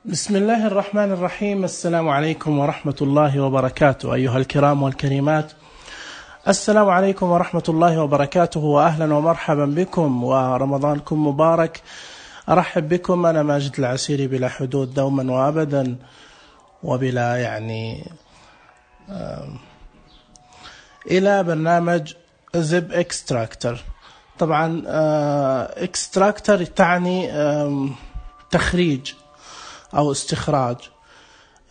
بسم الله الرحمن الرحيم. السلام عليكم ورحمة الله وبركاته. أيها الكرام والكريمات، السلام عليكم ورحمة الله وبركاته، وأهلا ومرحبا بكم، ورمضانكم مبارك. أرحب بكم، أنا ماجد العسيري، بلا حدود دوما وأبدا وبلا إلى برنامج زب اكستراكتر. طبعا اكستراكتر تعني تخريج أو استخراج،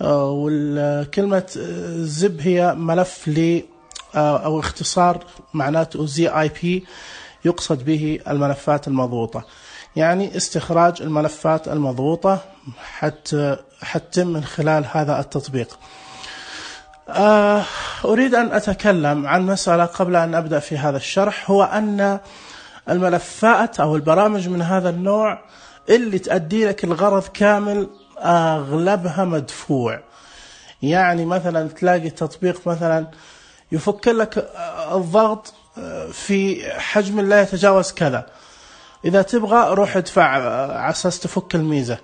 والكلمة زب هي ملف أو اختصار معناته ZIP، يقصد به الملفات المضغوطة، يعني استخراج الملفات المضغوطة حتى من خلال هذا التطبيق. أريد أن أتكلم عن مسألة قبل أن أبدأ في هذا الشرح، هو أن الملفات أو البرامج من هذا النوع اللي تؤدي لك الغرض كامل أغلبها مدفوع. يعني مثلا تلاقي تطبيق مثلا يفك لك الضغط في حجم لا يتجاوز كذا، إذا تبغى روح ادفع على أساس تفك الميزة.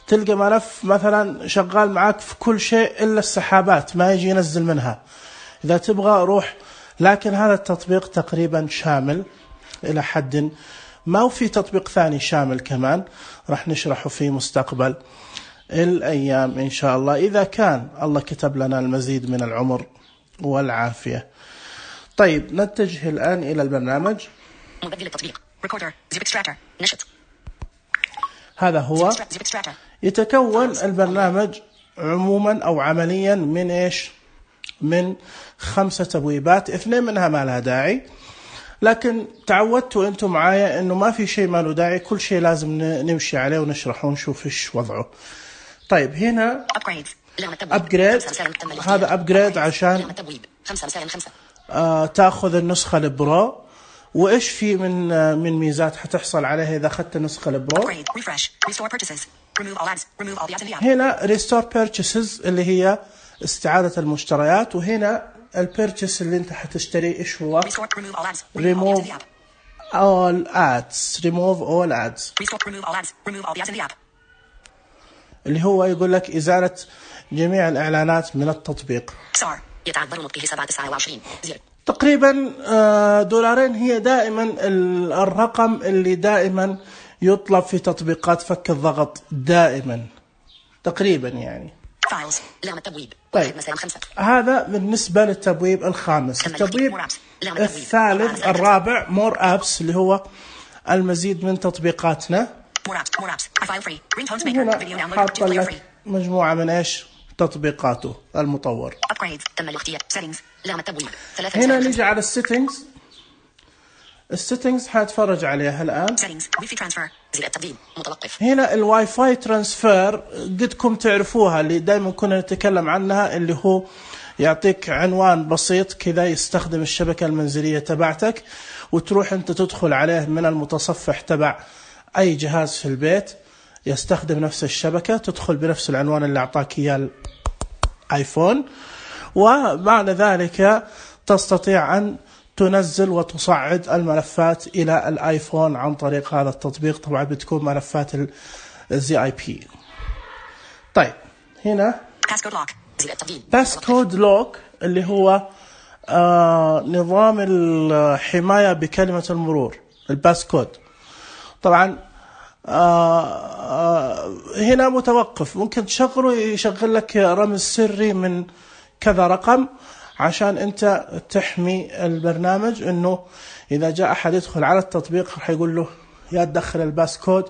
تلقى ملف مثلا شغال معاك في كل شيء إلا السحابات، ما يجي ينزل منها، إذا تبغى روح. لكن هذا التطبيق تقريبا شامل إلى حد ما، وفي تطبيق ثاني شامل كمان راح نشرحه في مستقبل الأيام إن شاء الله، إذا كان الله كتب لنا المزيد من العمر والعافية. طيب نتجه الآن إلى البرنامج. مبدل التطبيق ريكوردر زب اكستراكتور نشط. هذا هو. يتكون البرنامج عموما أو عمليا من إيش؟ من 5 تبويبات، 2 منها ما لها داعي، لكن تعودتوا أنتم معايا أنه ما في شيء ما له داعي، كل شيء لازم نمشي عليه ونشرحه ونشوف إيش وضعه. طيب هنا أبجريد، هذا أبجريد عشان تأخذ النسخة البرو. وإيش في من ميزات حتحصل عليها إذا أخذت النسخة البرو؟ هنا Restore Purchases اللي هي استعادة المشتريات، وهنا البيرتشس اللي انت حتشتري ايش هو؟ Remove all ads. Remove all ads اللي هو يقول لك إزالة جميع الإعلانات من التطبيق. تقريبا $2 هي دائما الرقم اللي دائما يطلب في تطبيقات فك الضغط دائما تقريبا يعني. طيب هذا بالنسبة للتبويب الخامس. التبويب الثالث الرابع More Apps اللي هو المزيد من تطبيقاتنا. هنا حاط لك مجموعة من إيش تطبيقاته المطور. هنا نيجي على السيتنجز. السيتنجز حاتفرج عليها الآن. هنا الواي فاي ترانسفير قدكم تعرفوها، اللي دائما كنا نتكلم عنها، اللي هو يعطيك عنوان بسيط كذا يستخدم الشبكة المنزلية تبعتك، وتروح أنت تدخل عليه من المتصفح تبع أي جهاز في البيت يستخدم نفس الشبكة، تدخل بنفس العنوان اللي أعطاك إياه الآيفون، وبعد ذلك تستطيع أن تنزل وتصعد الملفات إلى الآيفون عن طريق هذا التطبيق. طبعا بتكون ملفات ZIP. طيب هنا Passcode Lock اللي هو نظام الحماية بكلمة المرور، الباسكود. طبعا هنا متوقف، ممكن تشغله يشغل لك رمز سري من كذا رقم عشان أنت تحمي البرنامج، إنه إذا جاء أحد يدخل على التطبيق راح يقول له يا تدخل الباسكود،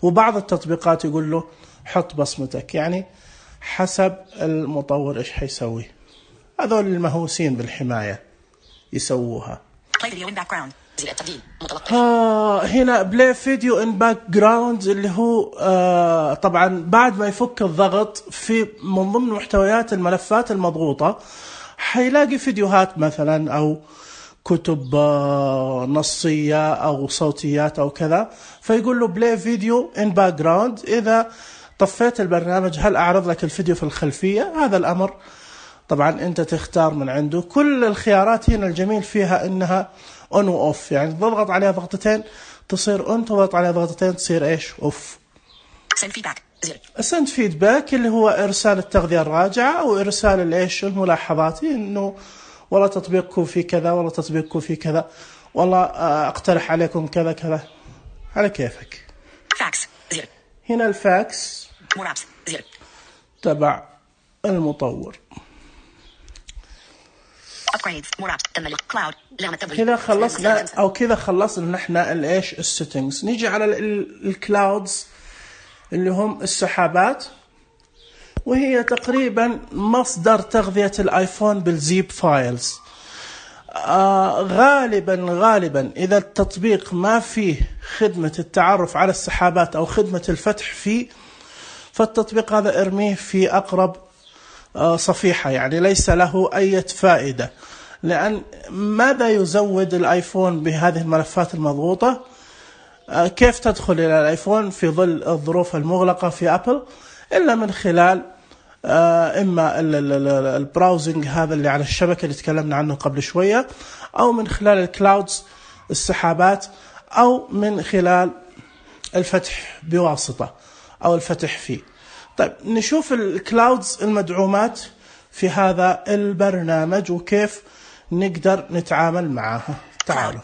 وبعض التطبيقات يقول له حط بصمتك، يعني حسب المطور إيش حيسوي. هذول المهووسين بالحماية يسووها. هنا بلاي فيديو ان باك جراوند اللي هو طبعا بعد ما يفك الضغط في من ضمن محتويات الملفات المضغوطة حيلاقي فيديوهات مثلا أو كتب نصية أو صوتيات أو كذا، فيقول له بلاي فيديو ان باك جراوند. إذا طفيت البرنامج هل أعرض لك الفيديو في الخلفية؟ هذا الأمر طبعا أنت تختار من عنده. كل الخيارات هنا الجميل فيها إنها on و off، يعني تضغط عليها ضغطتين تصير on، تضغط عليها ضغطتين تصير إيش off. زر. send feedback اللي هو إرسال التغذية الراجعة أو إرسال الإيش الملاحظات، إنه والله تطبيقكم في كذا، والله تطبيقكم في كذا، والله أقترح عليكم كذا كذا، على كيفك. فاكس زر. هنا الفاكس More apps زر. تبع المطور. Upgrades more apps تم كلاود لغة التبريد. كذا خلصنا أو كذا خلصنا نحن الإيش السيتنجز. نيجي على الكلاودز اللي هم السحابات، وهي تقريبا مصدر تغذية الآيفون بالزيب فايلز. غالبا إذا التطبيق ما فيه خدمة التعرف على السحابات أو خدمة الفتح فيه، فالتطبيق هذا ارميه في أقرب صفيحة، يعني ليس له أي فائدة. لأن ماذا يزود الآيفون بهذه الملفات المضغوطة؟ كيف تدخل إلى الآيفون في ظل الظروف المغلقة في أبل؟ إلا من خلال إما البراوزنج هذا اللي على الشبكة اللي تكلمنا عنه قبل شوية، أو من خلال الكلاودز السحابات، أو من خلال الفتح بواسطة أو الفتح فيه. طيب نشوف الكلاودز المدعومات في هذا البرنامج وكيف نقدر نتعامل معها. تعالوا.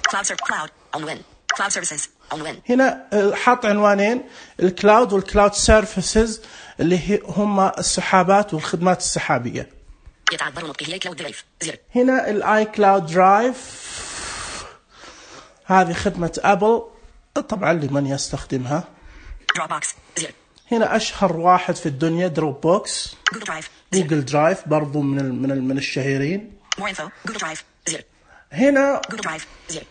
Cloud services عنوان. هنا حط عنوانين، الكلاود والكلاود سيرفيسز اللي هم السحابات والخدمات السحابية. يتعذر نطقه هي كلاود درايف زر. هنا الاي كلاود درايف، هذه خدمة ابل طبعا لمن يستخدمها. دروب بوكس زر. هنا اشهر واحد في الدنيا دروب بوكس. جوجل درايف. جوجل درايف برضو من الشهيرين. مور انفو جوجل درايف زر. هنا جوجل درايف زر.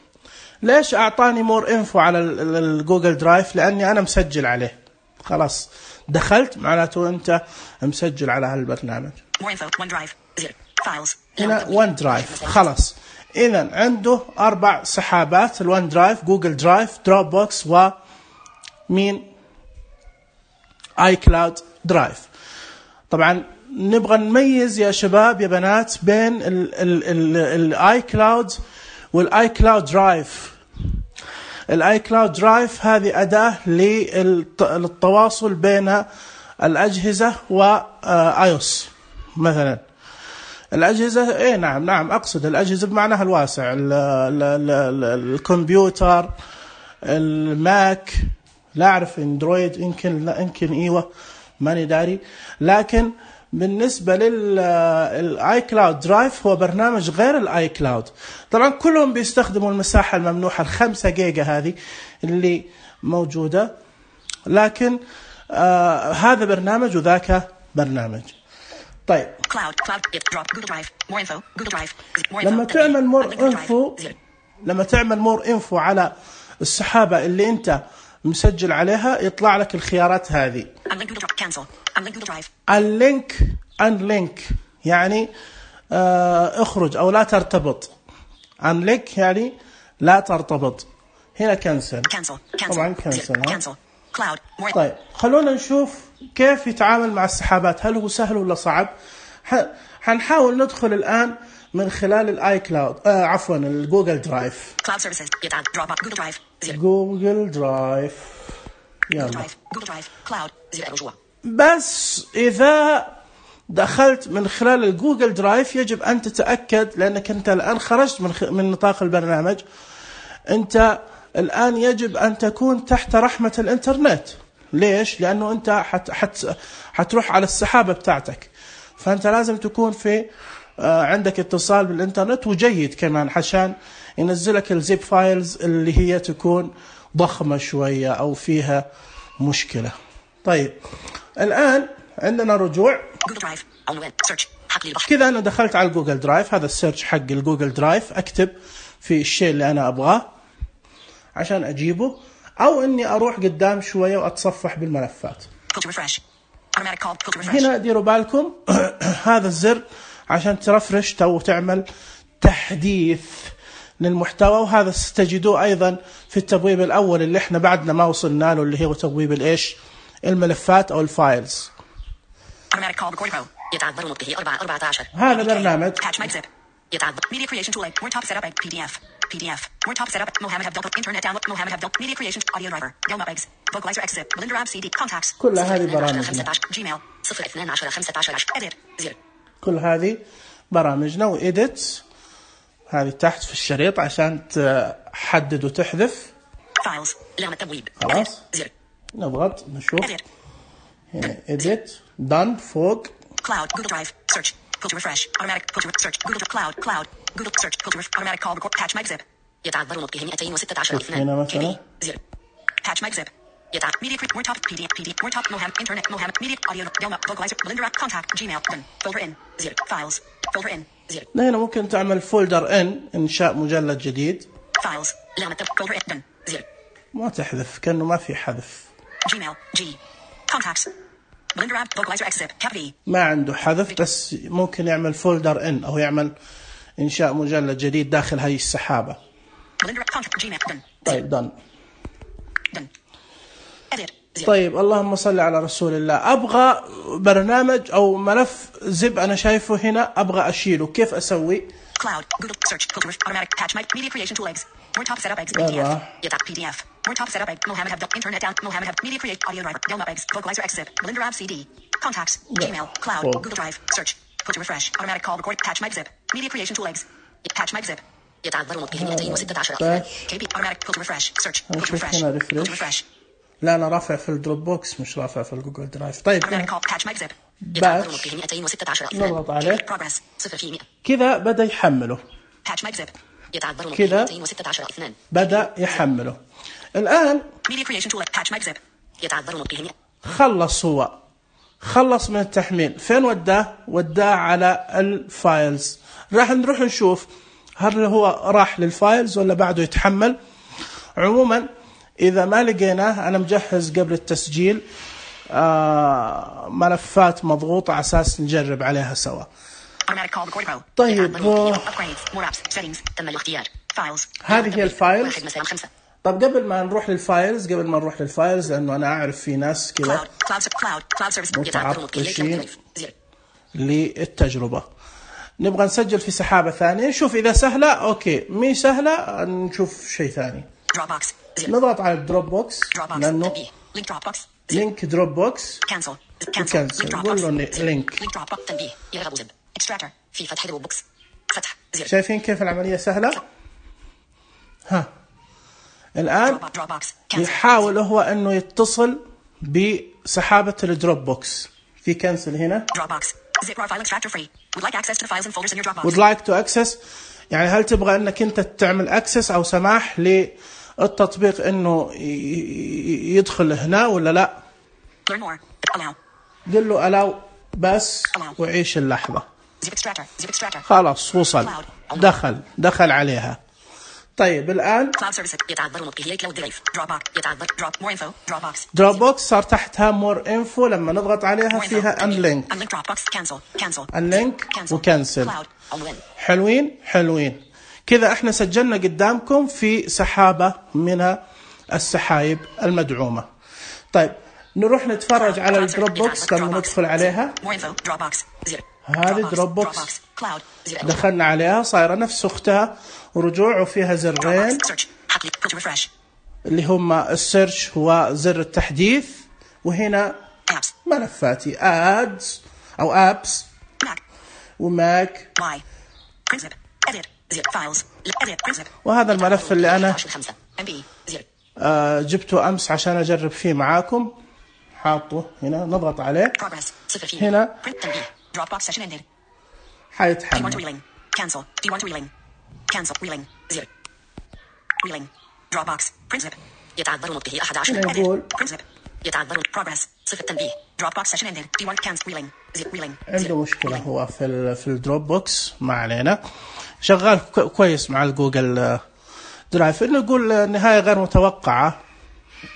ليش أعطاني مور إنفو على الجوجل درايف؟ لأني أنا مسجل عليه، خلاص دخلت معناته أنت مسجل على هالبرنامج. مور إنفو ون درايف زر. فايلز هنا ون درايف، خلاص إذن عنده 4 سحابات، الون درايف، جوجل درايف، دروب بوكس، ومين آي كلاود درايف. طبعا نبغى نميز يا شباب يا بنات بين الآي كلاود والاي كلاود درايف. الاي كلاود درايف هذه أداة للتواصل بين الأجهزة وايوس مثلا. الأجهزة نعم أقصد الأجهزة بمعناها الواسع، الكمبيوتر، الماك، لا أعرف اندرويد يمكن ايوه ماني داري. لكن بالنسبة للآي كلاود درايف هو برنامج غير الآي كلاود. طبعا كلهم بيستخدموا المساحة الممنوحة 5 جيجا هذه اللي موجودة، لكن هذا برنامج وذاك برنامج. طيب لما تعمل مور انفو على السحابة اللي انت مسجل عليها يطلع لك الخيارات هذه. unlink يعني اخرج او لا ترتبط. unlink يعني لا ترتبط. هنا كنسل. طبعا كنسل. طيب خلونا نشوف كيف يتعامل مع السحابات، هل هو سهل ولا صعب؟ حنحاول ندخل الآن من خلال الاي كلاود عفوا الجوجل درايف. جوجل درايف يلا. بس إذا دخلت من خلال الجوجل درايف يجب أن تتأكد، لأنك أنت الآن خرجت من نطاق البرنامج، أنت الآن يجب أن تكون تحت رحمة الإنترنت. ليش؟ لأنه أنت حتروح على السحابة بتاعتك، فأنت لازم تكون في عندك اتصال بالإنترنت وجيد كمان عشان ينزلك الزيب فايلز اللي هي تكون ضخمة شوية أو فيها مشكلة. طيب الآن عندنا رجوع كذا. أنا دخلت على الجوجل درايف، هذا السيرش حق الجوجل درايف، أكتب في الشيء اللي أنا أبغاه عشان أجيبه، أو إني أروح قدام شوية وأتصفح بالملفات. هنا ديروا بالكم هذا الزر عشان ترفرش أو تعمل تحديث للمحتوى، وهذا ستجدوه أيضا في التبويب الأول اللي احنا بعدنا ما وصلنا له، اللي هو تبويب الإيش الملفات أو الفايلز. يتعذر نطقه 14. هذا برنامج PDF. More top setup. Mohammed Abdel. Internet download. Mohammed Abdel. Media creation. Audio driver. Delma Eggs. Vocalizer Exit. Belinda Rab CD. Contacts. كل هذه برامجنا. Gmail. 012 Edit. 0. كل هذه برامجنا وإيديت هذه تحت في الشريط عشان تحدد وتحذف. Files. لام التبويب. خلاص. 0. نضغط نشوف. Edit. هنا إيديت. done فوق. Cloud. Google Drive. Search. Go to refresh. Automatic. Go to search. Google Cloud. Cloud. Google search. Go to automatic call record. Patch mic zip. يتعذر نطقه 216 هنا مثلا. KB. 0. Patch mic zip. Media create. More top. PDF. More top. Mohammed. Internet. Mohammed. Media. Audio. Delma. Vocalizer. Belinda Rap. Contact. Gmail. Done. Folder in. 0. Files. Folder in. 0. هنا ممكن تعمل فولدر إنشاء مجلد جديد. Files. لام folder in. Done. 0. ما تحذف كأنه ما في حذف. Gmail. G. Contacts. Belinda Rap. Vocalizer. Exit. Cap V. ما عنده حذف بس ممكن يعمل فولدر إن أو يعمل إنشاء مجلد جديد داخل هاي السحابة. Belinda Rap. Contact. Gmail. Done. طيب done. Done. Edit. 0. طيب اللهم صل على رسول الله. أبغى برنامج أو ملف زب أنا شايفه هنا أبغى أشيله كيف أسوي؟ Cloud. Google search. Filter. Automatic. Patch mic. Media creation tool eggs. More top setup eggs. PDF. PDF. More top setup egg. Mohammed Abdel. Internet down. Mohammed Abdel. Media create. Audio driver. Delma eggs. Vocalizer exit. Belinda Rab CD. Contacts. Gmail. Cloud. Google Drive. Search. Go to refresh. Automatic call record. Patch mic zip. Media creation tool eggs. Patch mic zip. يتعذر نطقه 216 KB. Automatic. Go to refresh. Search. Go to refresh. Go to refresh. لا أنا رافع في الدروب بوكس مش رافع في الجوجل درايف. طيب باتش نضغط عليه Progress 0%. كذا بدأ يحمله. كذا بدأ يحمله. الآن خلص هو خلص من التحميل. فين وداه على الفايلز. راح نروح نشوف هل هو راح للفايلز ولا بعده يتحمل. عموما إذا ما لقيناه أنا مجهز قبل التسجيل ملفات مضغوطة على أساس نجرب عليها سوا. طيب هذه هي الفايلز. طب قبل ما نروح للفايلز لأنه أنا أعرف في ناس كذا متعطشين للتجربة. نبغى نسجل في سحابة ثانية نشوف إذا سهلة أوكي مي سهلة نشوف شيء ثاني. نضغط على الدروب بوكس لأنه لينك دروب بوكس كنسل نقول له لينك. شايفين كيف العملية سهلة؟ ها الآن يحاول هو أنه يتصل بسحابة الدروب بوكس. في كنسل هنا would like to access يعني هل تبغى أنك أنت تعمل access أو سماح للتطبيق أنه يدخل هنا ولا لا. قل له allow بس وعيش اللحظة. خلاص وصل دخل عليها. طيب الآن دروب بوكس صار تحتها مور انفو لما نضغط عليها فيها انلينك وكنسل. حلوين كذا احنا سجلنا قدامكم في سحابة من السحايب المدعومة. طيب نروح نتفرج على الدروب بوكس لما ندخل عليها. هذه دروب بوكس دخلنا عليها صايرة نفس أختها ورجوع وفيها زرين اللي هم السيرش هو زر التحديث وهنا ملفاتي ادز أو ابس وماك وهذا الملف اللي أنا جبته أمس عشان أجرب فيه معاكم. حاطه هنا نضغط عليه هنا حيتحمل. نقول عنده مشكلة هو في الدروب بوكس ما علينا شغال كويس مع الجوجل درايف. نقول نهاية غير متوقعة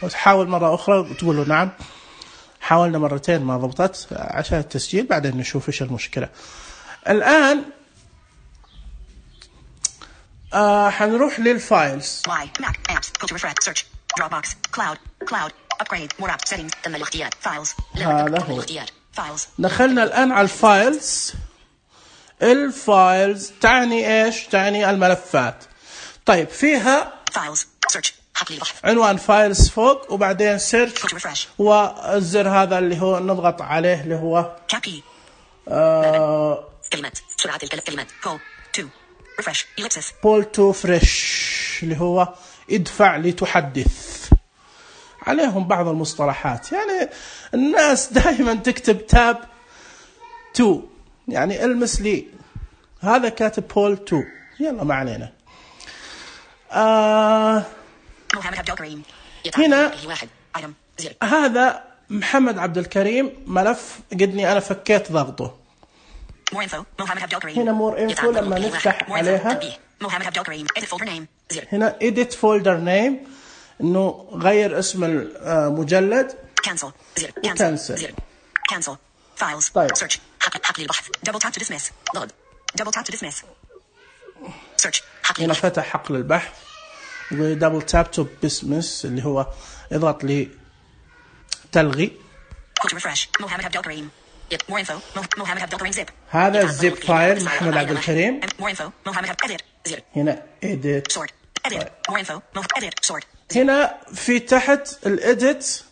وتحاول مرة أخرى وتقول له نعم حاولنا مرتين ما ضبطت عشان التسجيل بعدين نشوف إيش المشكلة. الآن حنروح للفايلز. هذا هو دخلنا الآن على الفايلز. الفايلز تعني إيش؟ تعني الملفات. طيب فيها Files. Search. حقل البحث. عنوان فايلز فوق وبعدين سيرش Go to refresh. والزر هذا اللي هو نضغط عليه اللي هو Copy. كلمات. سرعة الكلمات. Pull. To. Refresh. Ellipsis. pull to fresh اللي هو ادفع لتحدث. عليهم بعض المصطلحات، يعني الناس دائما تكتب تاب 2 يعني المس لي، هذا كاتب بول 2. يلا ما علينا. محمد عبد الكريم. هنا واحد. Item. 0. هذا محمد عبد الكريم ملف قدني أنا فكيت ضغطه. More info. محمد عبد الكريم. هنا more info لما نفتح عليها محمد عبد الكريم. Edit folder name. 0. هنا edit folder name إنه غير اسم المجلد. Cancel. 0. Cancel. 0. Cancel. Files. طيب. Search. حقل البحث. Double tap to dismiss. ضغط. Double tap to dismiss. Search. حقل هنا البحث. فتح حقل البحث ودبل تاب تو بسمس اللي هو اضغط لي تلغي. Go to refresh. محمد عبد الكريم. More info. محمد عبد الكريم zip. هذا الزيب فايل محمد عبد الكريم. More info. محمد عبد edit. 0. هنا edit. Sort. Edit. More info. Edit. Sort. هنا في تحت الاديت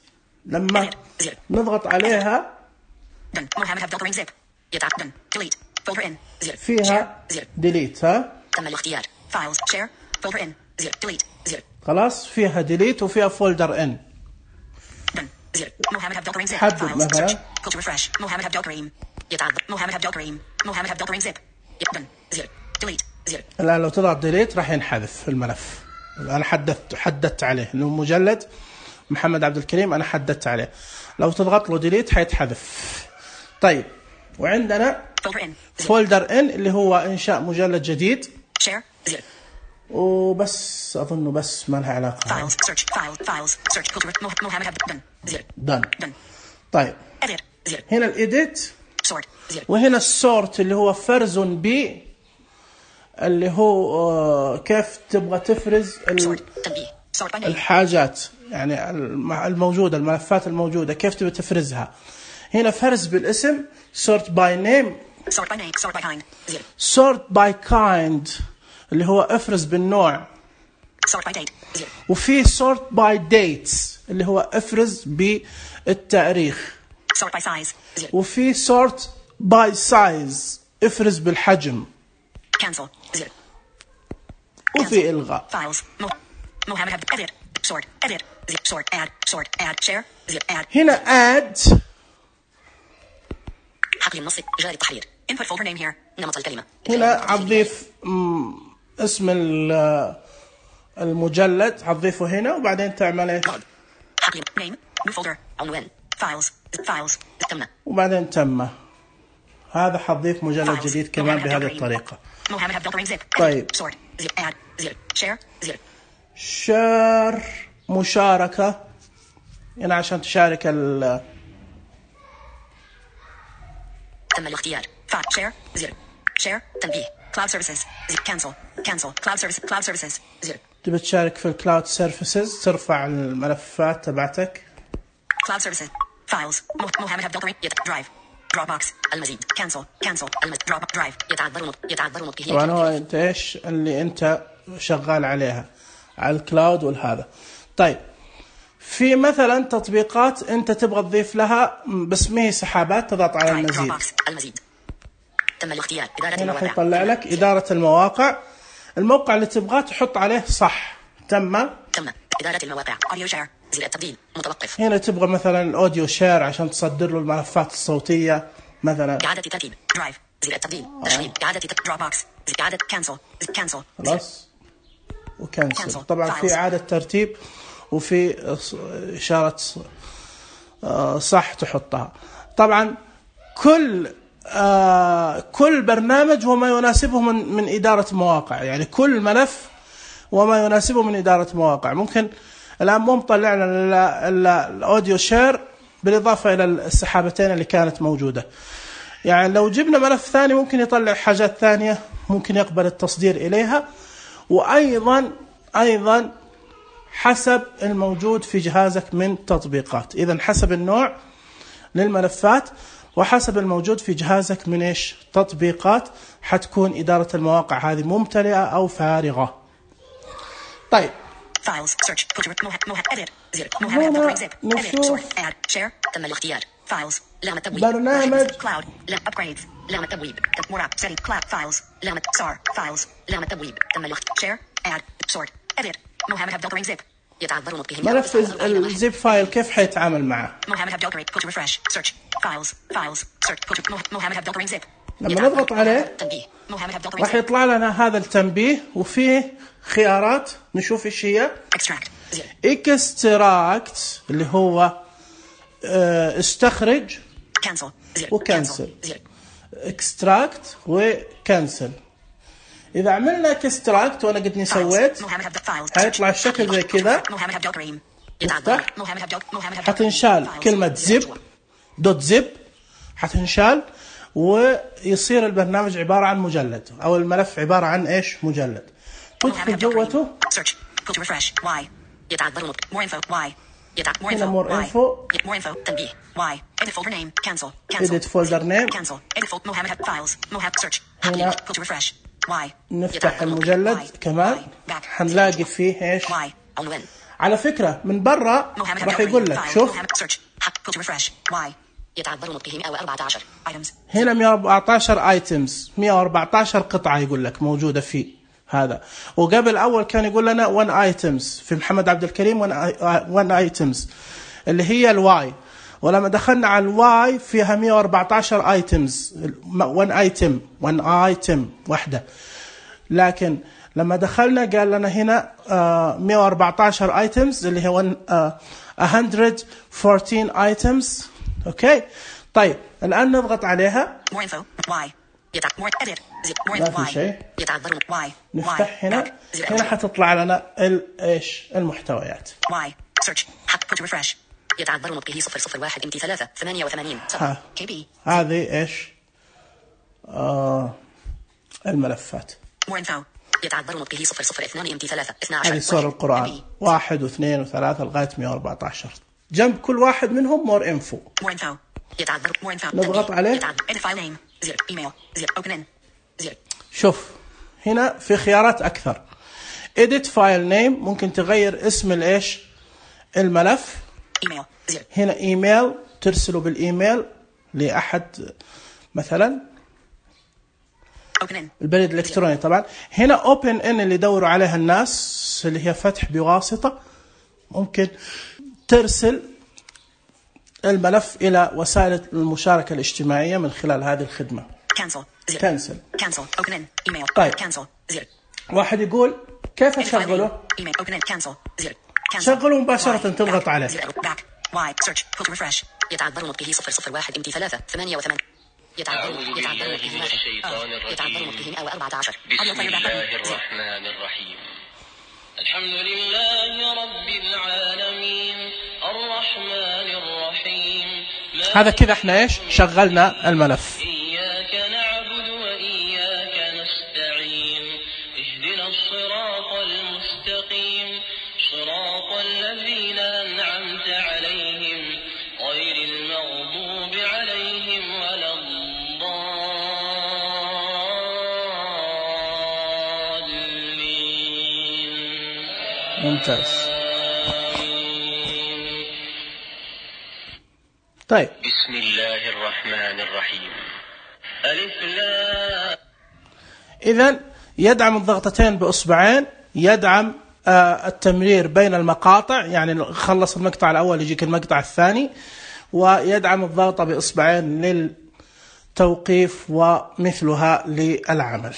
لما نضغط عليها Done. محمد عبد الكريم zip. Done. Delete. Folder in. 0. فيها Share. 0. ديليت. ها تم الاختيار. Files. Share. Folder in. 0. Delete. 0. خلاص فيها ديليت وفيها فولدر ان. Done. 0. محمد عبد الكريم zip. حدد Files. مثلا. Search. Go to refresh. محمد عبد الكريم. محمد عبد الكريم. محمد عبد الكريم zip. Done. 0. Delete. 0. الآن لو تضغط ديليت راح ينحذف الملف. أنا حددت عليه إنه مجلد محمد عبد الكريم، أنا حددت عليه. لو تضغط له ديليت حيتحذف. طيب وعندنا Folder in. 0. فولدر ان اللي هو إنشاء مجلد جديد. Share. 0. وبس أظنه بس ما لها علاقة. Files. Search. Files. Search. Go to محمد عبد. Done. 0. done. Done. طيب Edit. 0. هنا الإيديت Sort. 0. وهنا السورت اللي هو فرز بي اللي هو كيف تبغى تفرز Sort. تنبيه. Sort by name. الحاجات يعني الموجودة، الملفات الموجودة كيف تبغى تفرزها. هنا فرز بالاسم sort by name. Sort by name. Sort by kind. 0. sort by kind اللي هو افرز بالنوع. Sort by date. 0. وفي sort by dates اللي هو افرز بالتاريخ. Sort by size. 0. وفي sort by size افرز بالحجم. Cancel. 0. وفي إلغاء. Files. محمد عبد. Edit. Sort. Edit. 0. Sort. Add. Sort. Add. Share. 0. Add. هنا add حقل النص. جاري التحرير. Input folder name here. نمط الكلمة. هنا هتضيف اسم المجلد هتضيفه هنا وبعدين تعمل ايش؟ حقل name. New folder. عنوان. Files. تم. وبعدين تم. هذا حتضيف مجلد جديد كمان بهذه الطريقة. محمد عبد الكريم zip. طيب. Sort. 0. Add. 0. Share. 0. شار مشاركة هنا عشان تشارك تم الاختيار. Share. 0. Share. تنبيه. Cloud services. 0. Cancel. Cloud services. 0. تبي تشارك في الكلاود سيرفيسز ترفع الملفات تبعتك. Cloud services. Files. محمد عبد الكريم. Drive. Dropbox. المزيد. Cancel. Drive. يتعذر نطقه. طبعا هو انت ايش اللي انت شغال عليها على الكلاود والهذا. طيب في مثلا تطبيقات انت تبغى تضيف لها بس ما هي سحابات، تضغط على المزيد. تم الاختيار. إدارة هنا المواقع. حيطلع لك إدارة المواقع. الموقع اللي تبغاه تحط عليه صح. تم. إدارة المواقع. أوديو شير. زر التبديل متوقف. هنا تبغى مثلا الأوديو شير عشان تصدر له الملفات الصوتية مثلا. إعادة ترتيب. درايف. زر التبديل. تشغيل. إعادة دروب بوكس. إعادة كانسل. خلاص وكانسل. طبعا في إعادة ترتيب وفي إشارة صح تحطها. طبعا كل برنامج وما يناسبه من إدارة مواقع، يعني كل ملف وما يناسبه من إدارة مواقع. ممكن الآن مو مطلع لنا الأوديو شير بالإضافة إلى السحابتين اللي كانت موجودة. يعني لو جبنا ملف ثاني ممكن يطلع حاجات ثانية ممكن يقبل التصدير إليها. وأيضا حسب الموجود في جهازك من تطبيقات. إذن حسب النوع للملفات وحسب الموجود في جهازك من تطبيقات حتكون إدارة المواقع هذه ممتلئة أو فارغة. طيب Files. Search. Filter. Edit. Zip. Mohammed Abdelkarim zip. Edit. Sort. Add. Share. تم الاختيار. Files. لام التبويب. برنامج. Cloud. لام upgrades. لام التبويب. More app. Setting. Cloud. Files. لام SAR. Files. لام التبويب. تم الاختيار. Share. Add. Sort. Edit. Mohammed Abdelkarim zip. يتعذر مطبخه. ملف الزيب فايل كيف حيتعامل معه؟ Mohammed Abdelkarim. Filter. Refresh. Search. Files. Files. Search. Filter. Mohammed Abdelkarim zip. لما نضغط عليه راح يطلع لنا هذا التنبيه وفيه خيارات نشوف ايش هي. اكستراكت اللي هو استخرج وكنسل. اكستراكت وكنسل. اذا عملنا اكستراكت وانا قد سويت هيطلع الشكل زي كذا. حتنشال كلمة زب دوت زب حتنشال ويصير البرنامج عبارة عن مجلد أو الملف عبارة عن إيش مجلد. تدخل جوته هنا more info تنبيه edit folder name cancel edit folder name هنا نفتح المجلد كمان حنلاقي فيه إيش. على فكرة من برا راح يقول لك شوف يتعذر نطقه 114 هنا 114 ايتمز 114 قطعة يقول لك موجودة في هذا. وقبل أول كان يقول لنا 1 ايتمز في محمد عبد الكريم 1 ايتمز اللي هي الواي. ولما دخلنا على الواي فيها 114 ايتمز 1 ايتم واحدة. لكن لما دخلنا قال لنا هنا 114 ايتمز اللي هي 114 ايتمز. اوكي طيب الان نضغط عليها ما في شيء. نفتح هنا حتطلع لنا ايش المحتويات. يتعذر نطقه 001 MT 3 88 KB. هذه ايش الملفات. يتعذر نطقه 002 MT 3 12. هذه صور القرآن 1 و2 و3 لغاية 114. جنب كل واحد منهم مور انفو. نضغط عليه. شوف هنا في خيارات أكثر. edit file name ممكن تغير اسم الإيش الملف. هنا إيميل ترسله بالإيميل لأحد مثلا البريد الإلكتروني. طبعا هنا open in اللي يدوروا عليها الناس اللي هي فتح بواسطة. ممكن ترسل الملف إلى وسائل المشاركة الاجتماعية من خلال هذه الخدمة. كنسل. طيب واحد يقول كيف أشغله؟ شغله مباشرة تضغط عليه. يتعذر نطقه 001 MT 3 88. أعوذ بالله من الشيطان الرجيم. بسم الله الرحمن الرحيم. الحمد لله رب العالمين الرحمن الرحيم. هذا كذا احنا ايش شغلنا الملف. إياك نعبد وإياك نستعين اهدنا الصراط المستقيم صراط الذين أنعمت عليهم غير المغضوب عليهم ولا الضالين. ممتاز. طيب بسم الله الرحمن الرحيم. ألف لا. إذن يدعم الضغطتين بأصبعين. يدعم التمرير بين المقاطع يعني خلص المقطع الأول يجيك المقطع الثاني. ويدعم الضغط بأصبعين للتوقيف ومثلها للعمل.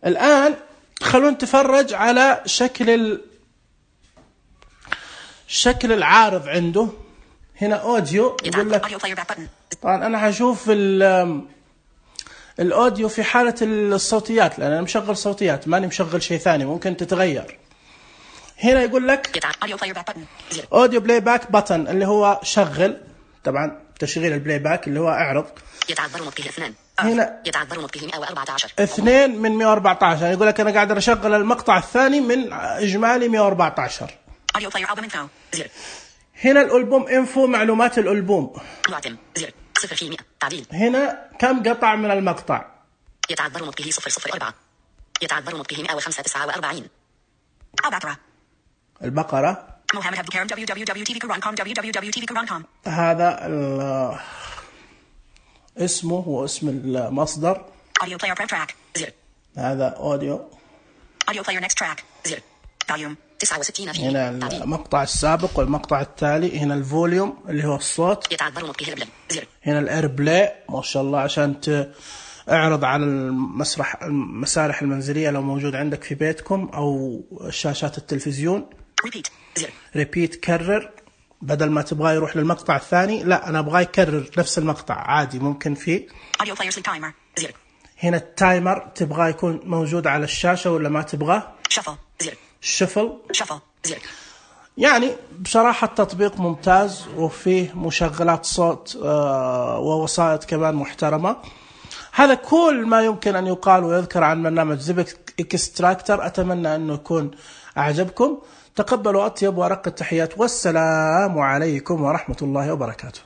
الآن خلونا نتفرج على شكل العارض عنده. هنا أوديو يقول لك. طبعا أنا هشوف الأوديو في حالة الصوتيات لأن أنا مشغل صوتيات ماني مشغل شيء ثاني ممكن تتغير. هنا يقول لك أوديو بلاي باك بutton اللي هو شغل. طبعا تشغيل البلاي باك اللي هو اعرض. هنا يتعذر نطقه 114 2 من 114 يعني يقول لك أنا قاعد أشغل المقطع الثاني من إجمالي 114. هنا الألبوم انفو معلومات الألبوم. هنا كم قطع من المقطع. يتعذر نطقه 004. يتعذر نطقه 149. البقرة. البقرة. Mohammed Abdul Karim www.tvquran.com www.tvquran.com. هذا اسمه واسم المصدر. Audio player prep track 0. هذا أوديو. Audio player next track 0. Volume 69 فيه. هنا المقطع السابق والمقطع التالي. هنا الفوليوم اللي هو الصوت. يتعذر نطقه ايربلاي 0. هنا الايربلاي ما شاء الله عشان اعرض على المسارح المنزلية لو موجود عندك في بيتكم أو شاشات التلفزيون. Repeat 0. ريبيت كرر، بدل ما تبغى يروح للمقطع الثاني لا أنا أبغى يكرر نفس المقطع عادي ممكن فيه. Audio player sleep timer 0. هنا التايمر تبغى يكون موجود على الشاشة ولا ما تبغاه. Shuffle 0. Shuffle 0. يعني بصراحة التطبيق ممتاز وفيه مشغلات صوت ووسائط كمان محترمة. هذا كل ما يمكن أن يقال ويذكر عن برنامج زيب إكستراكتر. أتمنى أنه يكون أعجبكم. تقبلوا أطيب وأرق التحيات والسلام عليكم ورحمة الله وبركاته.